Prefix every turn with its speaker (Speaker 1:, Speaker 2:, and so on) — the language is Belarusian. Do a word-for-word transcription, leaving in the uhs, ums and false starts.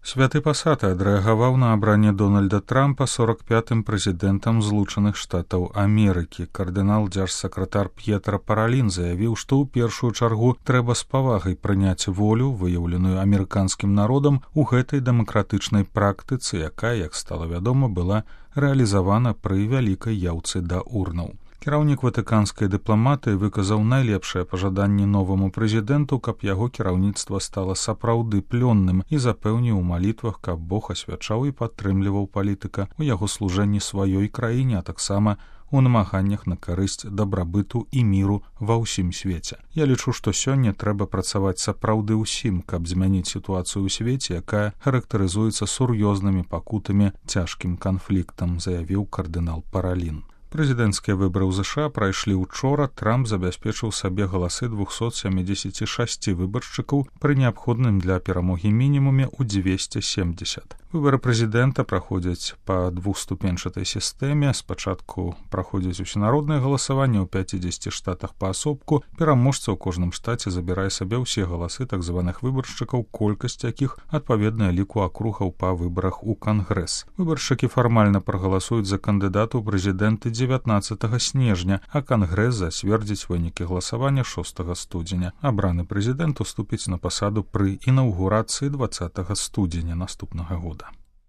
Speaker 1: Святы пасад адрэагаваў на абранне Дональда Трампа сорок пятым прэзідэнтам Злучаных Штатаў Амерыкі. Кардынал дзяржсакратар П'етра Паралін заявіў, што ў першую чаргу трэба з павагай прыняць волю, выяўленую амерыканскім народам у гэтай дэмакратычнай практыцы, якая, як стала вядома, была рэалізавана пры вялікай яўцы да урнаў. Кіраўнік ватыканскай дыпламатыі выказаў найлепшае пажаданне новаму прэзідэнту, каб яго кіраўніцтва стала сапраўды плённым і запэўніў у малітвах, каб Бог асвячаў і падтрымліваў палітыка ў яго служэнні сваёй краіне, а таксама у намаганнях на карысць дабрабыту і міру ва ўсім свеце. Я лічу, што сёння трэба працаваць сапраўды ўсім, каб змяніць сітуацыю ў свеце, якая характарызуецца сур'ёзнымі пакутамі, цяжкім канфліктам, заявіў кардынал Паралін. Прэзідэнцкія выбары ў ЗША прайшлі ўчора. Трамп забяспечыў сабе галасы двухсот сямідзесяці шасці выбаршчыкаў пры неабходным для перамогі мінімуме ў дзвесце семдзесят. Выбары прэзідэнта праходзяць па двухступеньчатай сістэме. Спачатку праходзіць усенароднае галасаванне ў пяцідзесяці штатах паасобку. Пераможца ў кожным штаце забірае сабе ўсе галасы так званых выбаршчыкаў, колькасць якіх адпаведная ліку акругаў па выбарах у Кангрэс. Выбаршчыкі фармальна прагаласуюць за кандыдата ў прэзідэнты дзевятнаццатага снежня, а Кангрэс зацвердзіць вынікі галасавання шостага студзеня. Абраны прэзідэнт уступіць на пасаду пры інаўгурацыі дваццатага студзеня наступнага года.